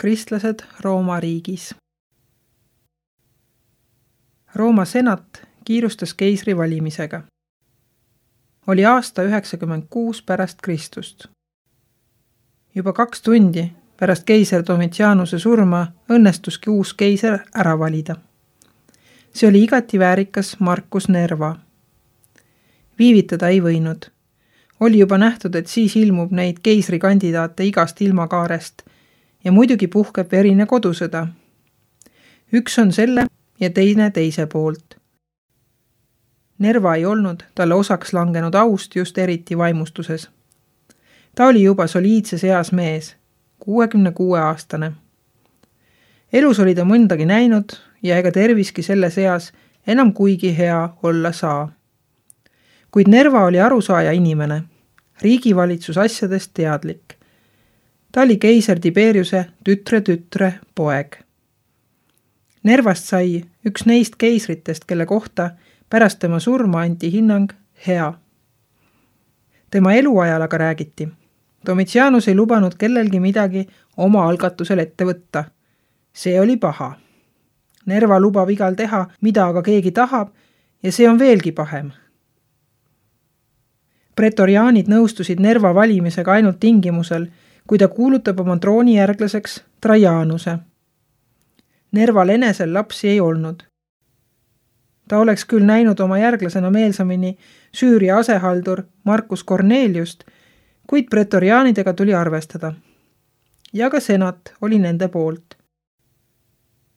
Kristlased Rooma riigis. Rooma senat kiirustas keisri valimisega. Oli aasta 96 pärast Kristust. Juba 2 tundi pärast keiser Domitianuse surma õnnestuski uus keiser ära valida. See oli igati väärikas Marcus Nerva. Viivitada ei võinud. Oli juba nähtud, et siis ilmub neid keisrikandidaate igast ilmakaarest ja muidugi puhkeb verine kodusõda. Üks on selle ja teine teise poolt. Nerva ei olnud talle osaks langenud aust just eriti vaimustuses. Ta oli juba soliidses eas mees, 66-aastane. Elus oli ta mõndagi näinud ja ega terviski selles eas enam kuigi hea olla saa. Kuid Nerva oli arusaaja inimene, riigivalitsus asjadest teadlik. Ta oli keiser Tiberiuse tütre poeg. Nervast sai üks neist keisritest, kelle kohta pärast tema surma anti hinnang hea. Tema eluajal aga räägiti. Domitianus ei lubanud kellelgi midagi oma algatusel ette võtta. See oli paha. Nerva lubab igal teha, mida aga keegi tahab, ja see on veelgi pahem. Pretoriaanid nõustusid Nerva valimisega ainult tingimusel, kui ta kuulutab oma troonijärglaseks Trajanuse. Nerval enesel lapsi ei olnud. Ta oleks küll näinud oma järglasena meelsamini Süüria asehaldur Marcus Corneliust, kuid pretoriaanidega tuli arvestada. Ja ka senat oli nende poolt.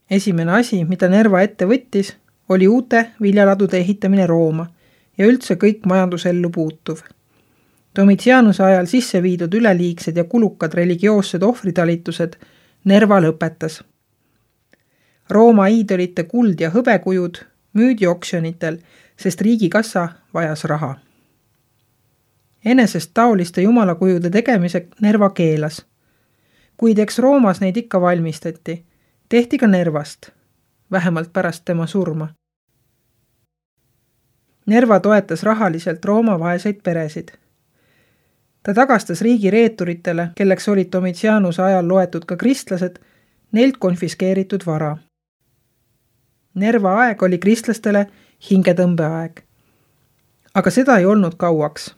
Esimene asi, mida Nerva ette võttis, oli uute viljaladude ehitamine Rooma ja üldse kõik majandusellu puutuv. Domitianuse ajal sisse viidud üleliigsed ja kulukad religioossed ohvritalitused Nerva lõpetas. Rooma iidolite kuld ja hõbekujud müüdi oksjonitel, sest riigikassa vajas raha. Enesest taoliste jumalakujude tegemise Nerva keelas. Kuid eks Roomas neid ikka valmistati, tehti ka Nervast, vähemalt pärast tema surma. Nerva toetas rahaliselt Rooma vaeseid peresid. Ta tagastas riigi reeturitele, kelleks olid Domitianuse ajal loetud ka kristlased, neilt konfiskeeritud vara. Nerva aeg oli kristlastele hingetõmbeaeg. Aga seda ei olnud kauaks.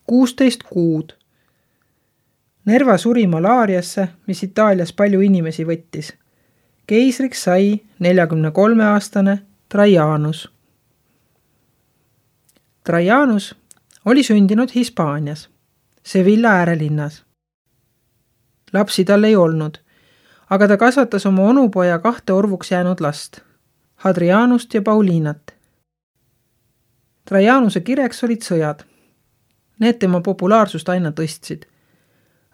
16 kuud. Nerva suri malaariasse, mis Itaalias palju inimesi võttis. Keisriks sai 43-aastane Trajanus. Trajanus oli sündinud Hispaanias, Sevilla äärelinnas. Lapsi tal ei olnud, aga ta kasvatas oma onupoja 2 orvuks jäänud last, Hadrianust ja Paulinat. Trajanuse kireks olid sõjad. Need tema populaarsust aina tõstsid.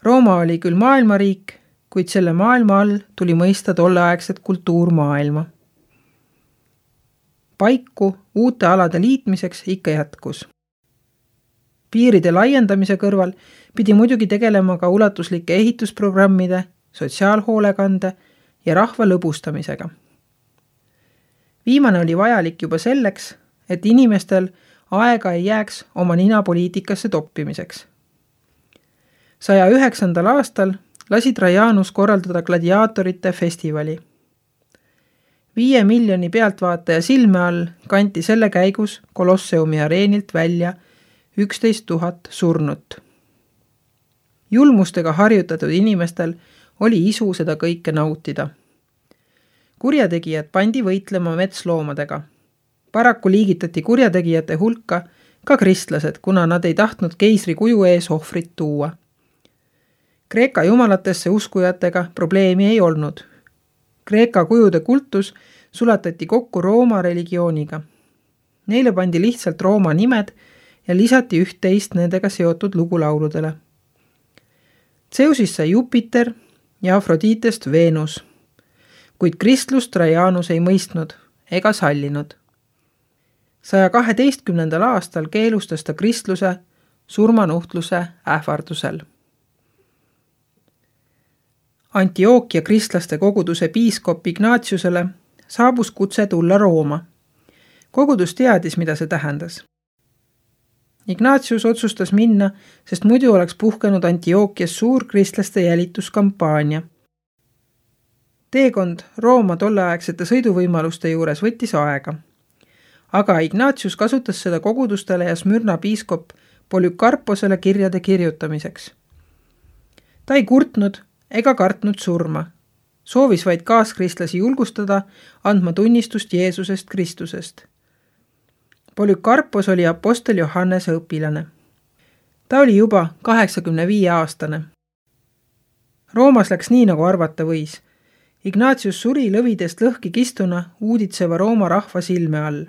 Rooma oli küll maailmariik, kuid selle maailma all tuli mõista tolleaegset kultuurmaailma. Paiku uute alade liitmiseks ikka jätkus. Piiride laiendamise kõrval pidi muidugi tegelema ka ulatuslike ehitusprogrammide, sotsiaalhoolekande ja rahva lõbustamisega. Viimane oli vajalik juba selleks, et inimestel aega ei jääks oma ninapoliitikasse toppimiseks. 109. aastal lasi Trajanus korraldada gladiaatorite festivali. 5 miljoni pealtvaataja silme all kanti selle käigus Kolosseumi areenilt välja 11 000 surnut. Julmustega harjutatud inimestel oli isu seda kõike nautida. Kurjategijad pandi võitlema metsloomadega. Paraku liigitati kurjategijate hulka ka kristlased, kuna nad ei tahtnud keisri kuju ees ohvrit tuua. Kreeka jumalatesse uskujatega probleemi ei olnud. Kreeka kujude kultus sulatati kokku Rooma religiooniga. Neile pandi lihtsalt Rooma nimed ja lisati 11 nendega seotud lugulauludele. Zeusist sai Jupiter ja Afroditest Venus, kuid kristlust Trajanus ei mõistnud ega sallinud. 112. aastal keelustas ta kristluse surmanuhtluse ähvardusel. Antiookia kristlaste koguduse piiskop Ignatiusele saabus kutse tulla Rooma. Kogudus teadis, mida see tähendas. Ignatius otsustas minna, sest muidu oleks puhkenud Antiookias suur kristlaste jälituskampaania. Teekond Rooma tolleaegsete sõiduvõimaluste juures võttis aega. Aga Ignatius kasutas seda kogudustele ja Smyrna piiskop Polükarposele kirjade kirjutamiseks. Ta ei kurtnud ega kartnud surma. Soovis vaid kaaskristlasi julgustada, andma tunnistust Jeesusest Kristusest. Polükarpos oli apostel Johannese õpilane. Ta oli juba 85-aastane. Roomas läks nii, nagu arvata võis. Ignatius suri lõvidest lõhki kistuna uuditseva Rooma rahva silme all.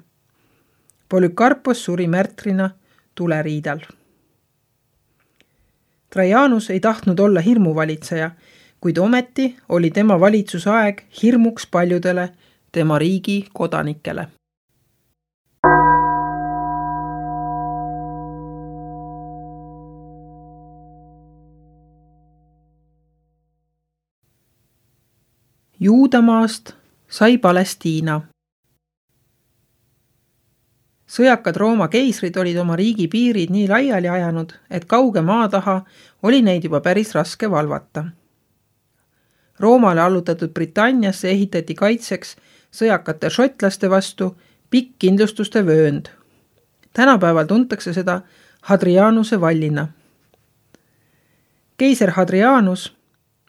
Polükarpos suri märtrina tuleriidal. Trajanus ei tahtnud olla hirmuvalitseja, kuid ometi oli tema valitsusaeg hirmuks paljudele tema riigi kodanikele. Juudamaast sai Palestiina. Sõjakad Rooma keisrid olid oma riigi piirid nii laiali ajanud, et kauge maa taha oli neid juba päris raske valvata. Roomale allutatud Britanniasse ehitati kaitseks sõjakate šotlaste vastu pikk kindlustuste vöönd. Tänapäeval tuntakse seda Hadrianuse vallina. Keiser Hadrianus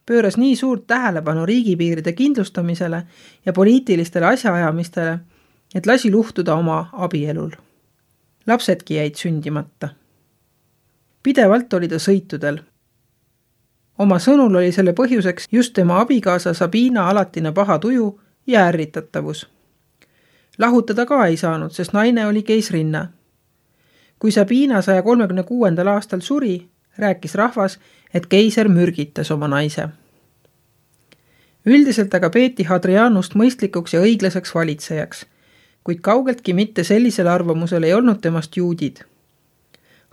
pööras nii suurt tähelepanu riigipiiride kindlustamisele ja poliitilistele asjaajamistele, et lasi luhtuda oma abielul. Lapsedki jäid sündimata. Pidevalt oli ta sõitudel. Oma sõnul oli selle põhjuseks just tema abikaasa Sabina alatine paha tuju ja ärritatavus. Lahutada ka ei saanud, sest naine oli keisrinna. Kui Sabina 136. aastal suri, rääkis rahvas, et keiser mürgitas oma naise. Üldiselt aga peeti Hadrianust mõistlikuks ja õiglaseks valitsejaks, kuid kaugeltki mitte sellisel arvamusel ei olnud temast juudid.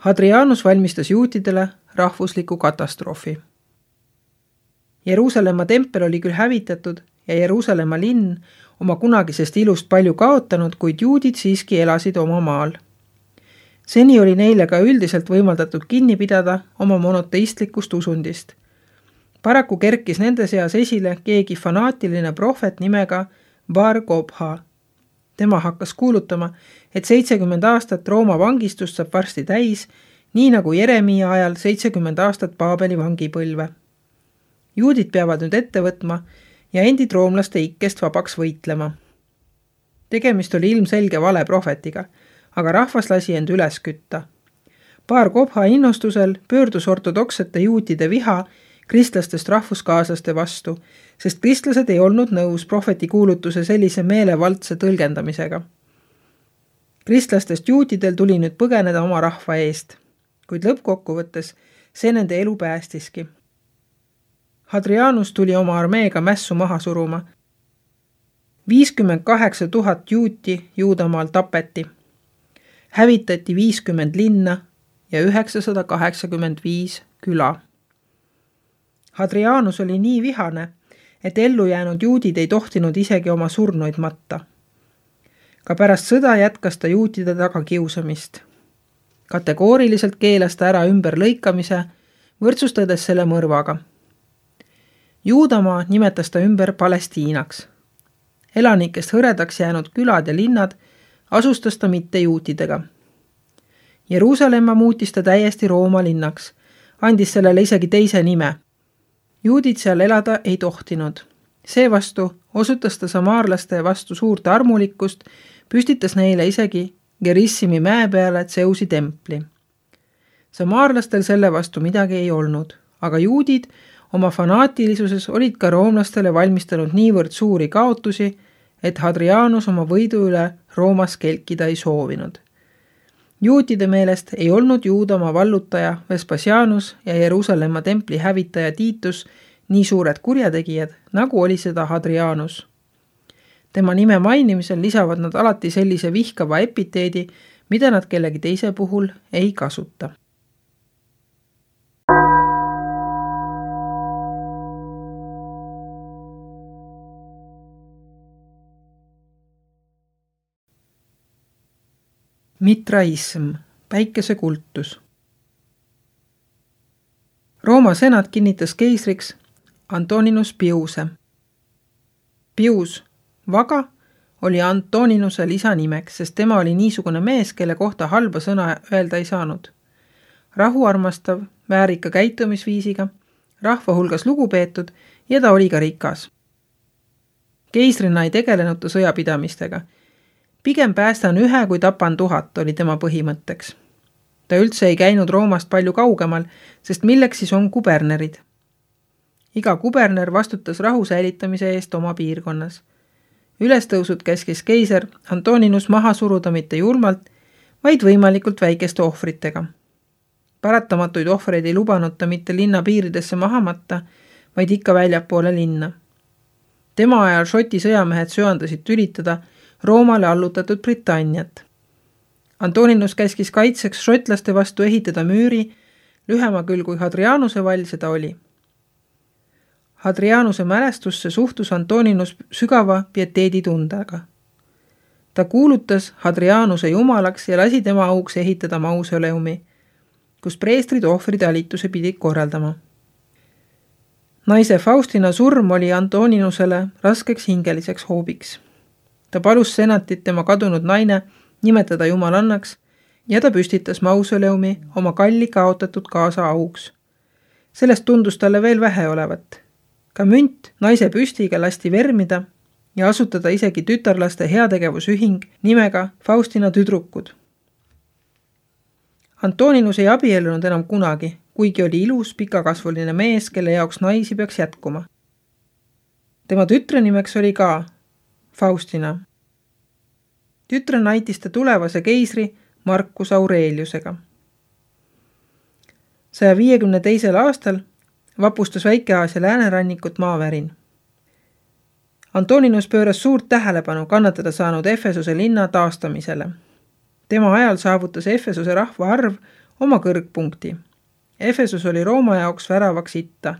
Hadrianus valmistas juutidele rahvusliku katastroofi. Jeruusalemma tempel oli küll hävitatud ja Jeruusalemma linn oma kunagisest ilust palju kaotanud, kuid juudid siiski elasid oma maal. Seni oli neile ka üldiselt võimaldatud kinni pidada oma monoteistlikust usundist. Paraku kerkis nende seas esile keegi fanaatiline prohvet nimega Bar Kokhba. Tema hakkas kuulutama, et 70 aastat Rooma vangistust saab varsti täis, nii nagu Jeremia ajal 70 aastat Paabeli vangipõlve. Juudid peavad nüüd ette võtma ja endid roomlaste ikkest vabaks võitlema. Tegemist oli ilmselge vale prohvetiga, aga rahvas lasi end üles kütta. Bar Kokhba innostusel pöördus ortodoksete juutide viha kristlastest rahvuskaaslaste vastu, sest kristlased ei olnud nõus prohveti kuulutuse sellise meelevaldse tõlgendamisega. Kristlastest juutidel tuli nüüd põgeneda oma rahva eest, kuid lõppkokkuvõttes see nende elu päästiski. Hadrianus tuli oma armeega mässu maha suruma. 58 000 juuti Juudamaal tapeti. Hävitati 50 linna ja 985 küla. Hadrianus oli nii vihane, et ellu jäänud juudid ei tohtinud isegi oma surnuid matta. Ka pärast sõda jätkas ta juutide tagakiusamist. Kategooriliselt keelas ta ära ümberlõikamise, võrdsustades selle mõrvaga. Juudamaa nimetas ta ümber Palestiinaks. Elanikest hõredaks jäänud külad ja linnad asustas ta mitte juutidega. Jeruusalemma muutis ta täiesti Rooma linnaks, andis sellele isegi teise nime. Juudid seal elada ei tohtinud. Seevastu osutas ta samaarlaste vastu suurt armulikkust, püstitas neile isegi Gerissimi mäe peale Zeusi templi. Samaarlastel selle vastu midagi ei olnud, aga juudid oma fanaatilisuses olid ka roomlastele valmistanud niivõrd suuri kaotusi, et Hadrianus oma võidu üle Roomas kelkida ei soovinud. Juutide meelest ei olnud Juudamaa vallutaja Vespasianus ja Jeruusalemma templi hävitaja Titus nii suured kurjategijad, nagu oli seda Hadrianus. Tema nime mainimisel lisavad nad alati sellise vihkava epiteedi, mida nad kellegi teise puhul ei kasuta. Mitraism, päikesekultus. Rooma senat kinnitas keisriks Antoninus Piuse. Pius Vaga oli Antoninuse lisanimeks, sest tema oli niisugune mees, kelle kohta halba sõna öelda ei saanud. Rahuarmastav, väärika käitumisviisiga, rahva hulgas lugupeetud ja ta oli ka rikas. Keisrina ei tegelenud ta sõjapidamistega. Pigem päästan 1 kui tapan 1000 oli tema põhimõtteks. Ta üldse ei käinud Roomast palju kaugemal, sest milleks siis on kubernerid. Iga kuberner vastutas rahu säilitamise eest oma piirkonnas. Ülestõusud käskis keiser Antoninus maha suruda mitte julmalt, vaid võimalikult väikeste ohvritega. Paratamatuid ohvreid ei lubanud ta mitte linna piiridesse maha matta, vaid ikka väljapoole linna. Tema ajal Šoti sõjamehed söandasid tülitada Roomale allutatud Britanniat. Antoninus käskis kaitseks šotlaste vastu ehitada müüri, lühema küll kui Hadrianuse vall seda oli. Hadrianuse mälestusse suhtus Antoninus sügava pieteeditundega. Ta kuulutas Hadrianuse jumalaks ja lasi tema auks ehitada mausoleumi, kus preestrid ohvritalituse pidid korraldama. Naise Faustina surm oli Antoninusele raskeks hingeliseks hoobiks. Ta palus senatit tema kadunud naine nimetada jumalannaks ja ta püstitas mausoleumi oma kalli kaotatud kaasa auks. Sellest tundus talle veel vähe olevat. Ka münt naise püstiga lasti vermida ja asutada isegi tütarlaste heategevusühing nimega Faustina tüdrukud. Antoninus ei abiellunud enam kunagi, kuigi oli ilus pikakasvuline mees, kelle jaoks naisi peaks jätkuma. Tema tütre nimeks oli ka Faustina. Tütre naitis ta tulevase keisri Marcus Aureliusega. 152. aastal vapustas Väike-Aasia läänerannikut maavärin. Antoninus pööras suurt tähelepanu kannatada saanud Efesuse linna taastamisele. Tema ajal saavutas Efesuse rahvaarv oma kõrgpunkti. Efesus oli Rooma jaoks väravaks itta.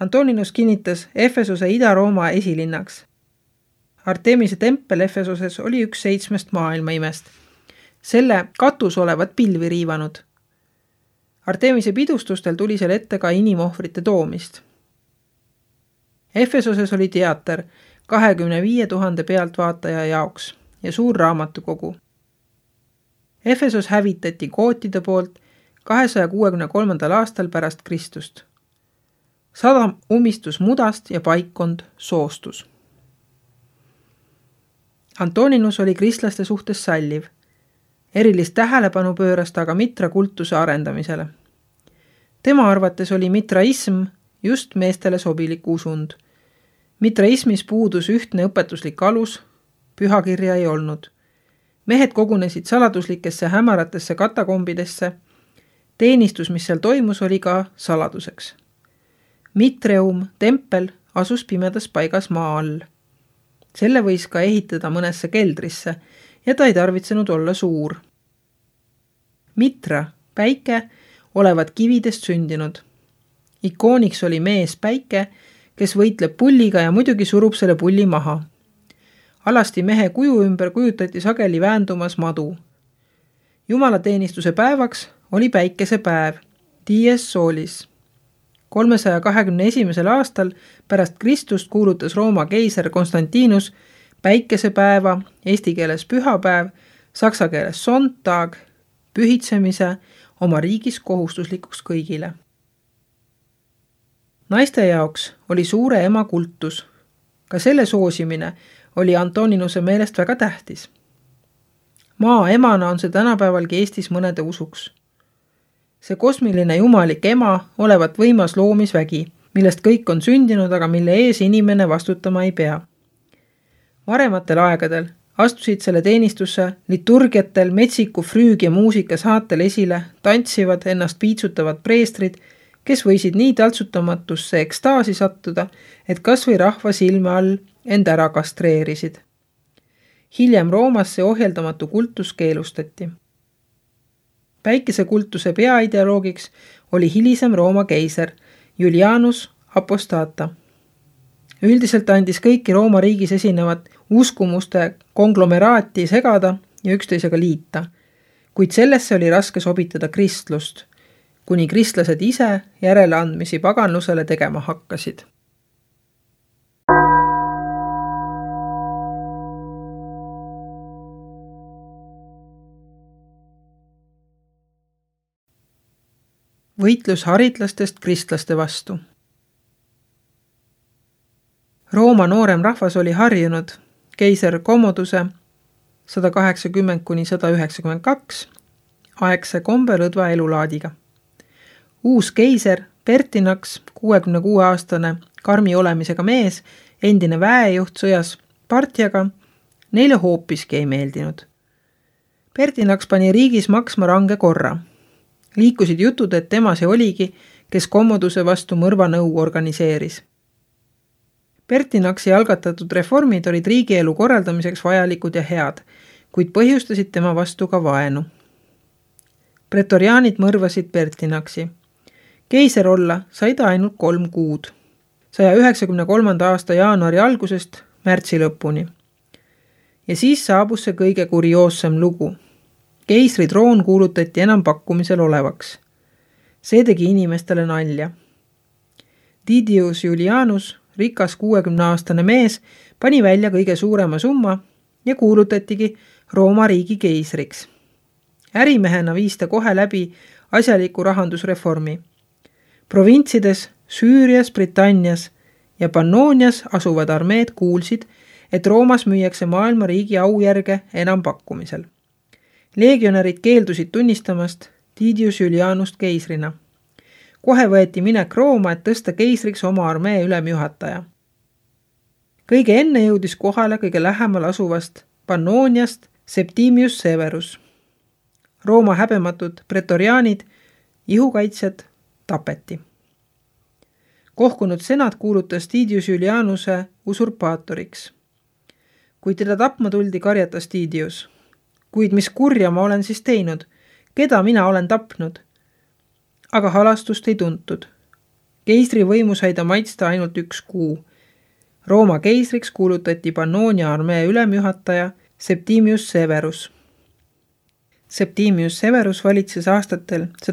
Antoninus kinnitas Efesuse Ida-Rooma esilinnaks. Artemise tempel Efesuses oli üks 7 maailmaimest. Selle katus olevat pilvi riivanud. Artemise pidustustel tuli seal ette ka inimohvrite toomist. Efesuses oli teater 25 000 pealtvaataja jaoks ja suur raamatukogu. Efesus hävitati gootide poolt 263. aastal pärast Kristust. Sadam umistus mudast ja paikkond soostus. Antoninus oli kristlaste suhtes salliv. Erilist tähelepanu pööras ta aga mitra kultuse arendamisele. Tema arvates oli mitraism just meestele sobilik usund. Mitraismis puudus ühtne õpetuslik alus, pühakirja ei olnud. Mehed kogunesid saladuslikesse hämaratesse katakombidesse. Teenistus, mis seal toimus, oli ka saladuseks. Mitreum, tempel, asus pimedas paigas maa all. Selle võis ka ehitada mõnesse keldrisse ja ta ei tarvitsenud olla suur. Mitra, päike, olevat kividest sündinud. Ikooniks oli mees päike, kes võitleb pulliga ja muidugi surub selle pulli maha. Alasti mehe kuju ümber kujutati sageli väändumas madu. Jumalateenistuse päevaks oli päikesepäev, dies solis. 321. aastal pärast Kristust kuulutas Rooma keiser Konstantinus päikesepäeva, eesti keeles pühapäev, saksa keeles Sonntag, pühitsemise oma riigis kohustuslikuks kõigile. Naiste jaoks oli suure ema kultus. Ka selle soosimine oli Antoninuse meelest väga tähtis. Maa emana on see tänapäevalgi Eestis mõnede usuks. See kosmiline jumalik ema olevat võimas loomisvägi, millest kõik on sündinud, aga mille ees inimene vastutama ei pea. Varematel aegadel astusid selle teenistusse liturgiatel, metsiku früüg ja muusika saatel esile tantsivad, ennast piitsutavad preestrid, kes võisid nii taltsutamatusse ekstaasi sattuda, et kas või rahva silme all end ära kastreerisid. Hiljem Roomas see ohjeldamatu kultus keelustati. Päikesekultuse peaideoloogiks oli hilisem Rooma keiser Julianus Apostata. Üldiselt andis kõiki Rooma riigis esinevat uskumuste konglomeraati segada ja üksteisega liita, kuid sellesse oli raske sobitada kristlust, kuni kristlased ise järeleandmisi paganlusele tegema hakkasid. võitlus haritlastest kristlaste vastu. Rooma noorem rahvas oli harjunud keiser Commoduse 180–192 aegse kombelõdva elulaadiga. Uus keiser Pertinax, 66-aastane karmi olemisega mees, endine väejuht sõjas Partiaga, neile hoopiski ei meeldinud. Pertinax pani riigis maksma range korra. Liikusid jutud, et tema see oligi, kes Commoduse vastu mõrvanõu organiseeris. Pertinaxi algatatud reformid olid riigielu korraldamiseks vajalikud ja head, kuid põhjustasid tema vastu ka vaenu. Pretoriaanid mõrvasid Pertinaxi. Keiser olla sai ta ainult 3 kuud, 193. aasta jaanuari algusest märtsi lõpuni. Ja siis saabus see kõige kurioossem lugu. Keisri troon kuulutati enam pakkumisel olevaks. See tegi inimestele nalja. Didius Julianus, rikas 60-aastane mees, pani välja kõige suurema summa ja kuulutatigi Rooma riigi keisriks. Ärimehena viis ta kohe läbi asjaliku rahandusreformi. Provintsides, Süürias, Britannias ja Pannonias asuvad armeed kuulsid, et Roomas müüakse maailma riigi aujärge enam pakkumisel. Legionärid keeldusid tunnistamast Didius Julianust keisrina. Kohe võeti minek Rooma, et tõsta keisriks oma armee ülemjuhataja. Kõige enne jõudis kohale kõige lähemal asuvast Pannoniast Septimius Severus. Rooma häbematud pretoriaanid, ihukaitsjad, tapeti. Kohkunud senat kuulutas Didius Julianuse usurpaatoriks. Kui teda tapma tuldi, karjatas Didius. Kuid mis kurja ma olen siis teinud? Keda mina olen tapnud? Aga halastust ei tuntud. Keisri võimu sai ta maitsta ainult 1 kuu. Rooma keisriks kuulutati Pannonia armee ülemjuhataja Septimius Severus. Septimius Severus valitses aastatel 193–211.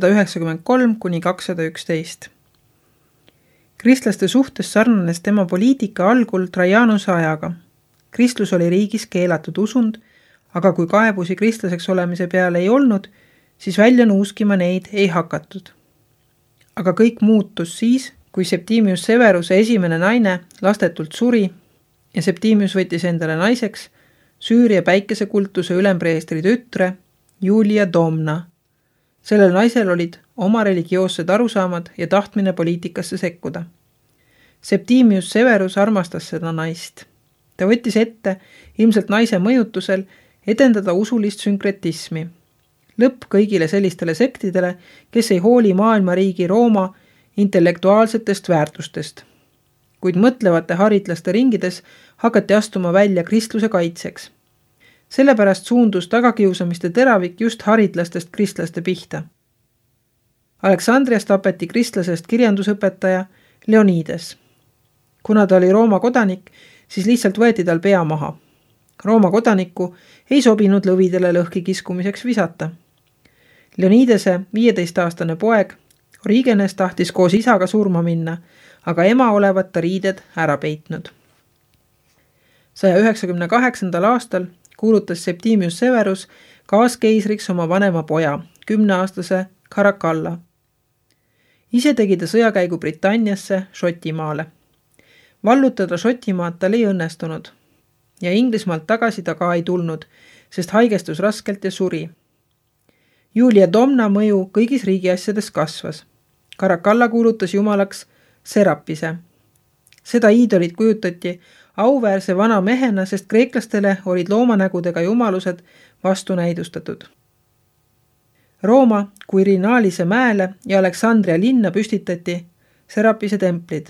Kristlaste suhtes sarnanes tema poliitika algul Trajanuse ajaga. Kristlus oli riigis keelatud usund, aga kui kaebusi kristlaseks olemise peale ei olnud, siis välja nuuskima neid ei hakatud. Aga kõik muutus siis, kui Septimius Severuse esimene naine lastetult suri ja Septimius võttis endale naiseks Süüria päikesekultuse ülempreestri tütre Julia Domna. Sellel naisel olid oma religioossed arusaamad ja tahtmine poliitikasse sekkuda. Septimius Severus armastas seda naist. Ta võttis ette, ilmselt naise mõjutusel, edendada usulist sünkretismi. Lõpp kõigile sellistele sektidele, kes ei hooli maailmariigi Rooma intellektuaalsetest väärtustest. Kuid mõtlevate haritlaste ringides hakati astuma välja kristluse kaitseks. Sellepärast suundus tagakiusamiste teravik just haritlastest kristlaste pihta. Aleksandrias tapeti kristlasest kirjandusõpetaja Leonides. Kuna ta oli Rooma kodanik, siis lihtsalt võeti tal pea maha. Rooma kodanikku ei sobinud lõvidele lõhki kiskumiseks visata. Leonidese 15-aastane poeg Origenes tahtis koos isaga surma minna, aga ema olevat ta riided ära peitnud. 198. aastal kuulutas Septimius Severus kaaskeisriks oma vanema poja, 10-aastase Caracalla. Ise tegi ta sõjakäigu Britanniasse, Šotimaale. Vallutada Šotimaad tal ei õnnestunud ja Inglismaalt tagasi ta ka ei tulnud, sest haigestus raskelt ja suri. Julia Domna mõju kõigis riigiasjades kasvas. Caracalla kuulutas jumalaks Serapise. Seda iidolit kujutati auväärse vana mehena, sest kreeklastele olid loomanägudega jumalused vastunäidustatud. Rooma Quirinalise mäele ja Aleksandria linna püstitati Serapise templid.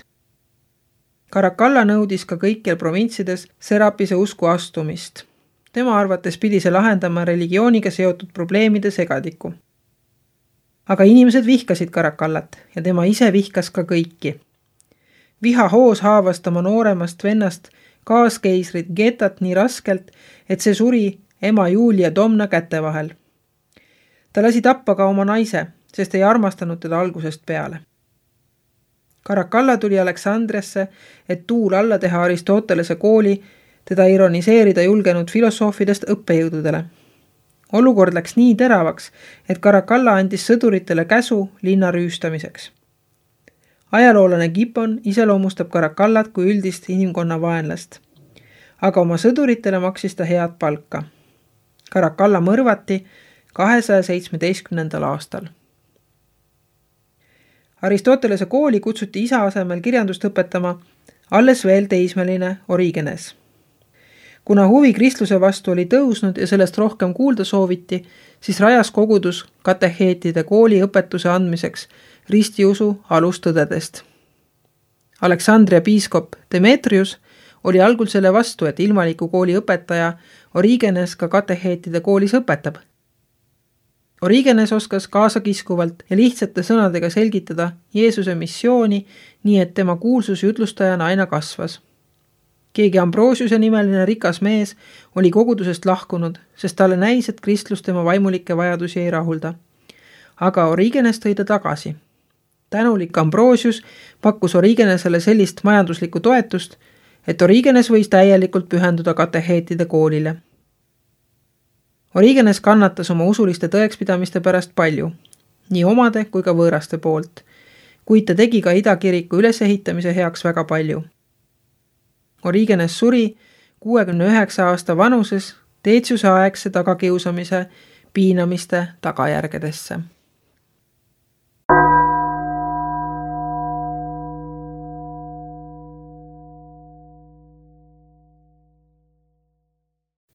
Caracalla nõudis ka kõikjal provintsides Serapise usku astumist. Tema arvates pidi see lahendama religiooniga seotud probleemide segadiku. Aga inimesed vihkasid Caracallat ja tema ise vihkas ka kõiki. Viha hoos haavas tema nooremast vennast kaaskeisrit Getat nii raskelt, et see suri ema Julia Domna käte vahel. Ta lasi tappa ka oma naise, sest ei armastanud teda algusest peale. Caracalla tuli Aleksandriasse, et tuul alla teha Aristotelese kooli, teda ironiseerida julgenud filosoofidest õppejõududele. olukord läks nii teravaks, et Caracalla andis sõduritele käsu linna rüüstamiseks. Ajaloolane Gibbon iseloomustab Caracallat kui üldist inimkonna vaenlast, aga oma sõduritele maksis ta head palka. Caracalla mõrvati 217. aastal. Aristotelese kooli kutsuti isa asemel kirjandust õpetama alles veel teismeline Origenes. Kuna huvi kristluse vastu oli tõusnud ja sellest rohkem kuulda sooviti, siis rajas kogudus kateheetide kooli õpetuse andmiseks ristiusu alustõdedest. Aleksandria piiskop Demetrius oli algul selle vastu, et ilmaliku kooli õpetaja Origenes ka kateheetide koolis õpetab. Origenes oskas kaasakiskuvalt ja lihtsate sõnadega selgitada Jeesuse missiooni, nii et tema kuulsus jutlustajana aina kasvas. Keegi Ambrosiuse nimeline rikas mees oli kogudusest lahkunud, sest talle näis, et kristlus tema vaimulikke vajadusi ei rahulda. Aga Origenes tõi ta tagasi. Tänulik Ambrosius pakkus Origenesele sellist majanduslikku toetust, et Origenes võis täielikult pühenduda kateheetide koolile. Origenes kannatas oma usuliste tõekspidamiste pärast palju, nii omade kui ka võõraste poolt, kuid ta tegi ka idakiriku ülesehitamise heaks väga palju. Origenes suri 69 aasta vanuses Deetsiuse aegse tagakiusamise piinamiste tagajärgedesse.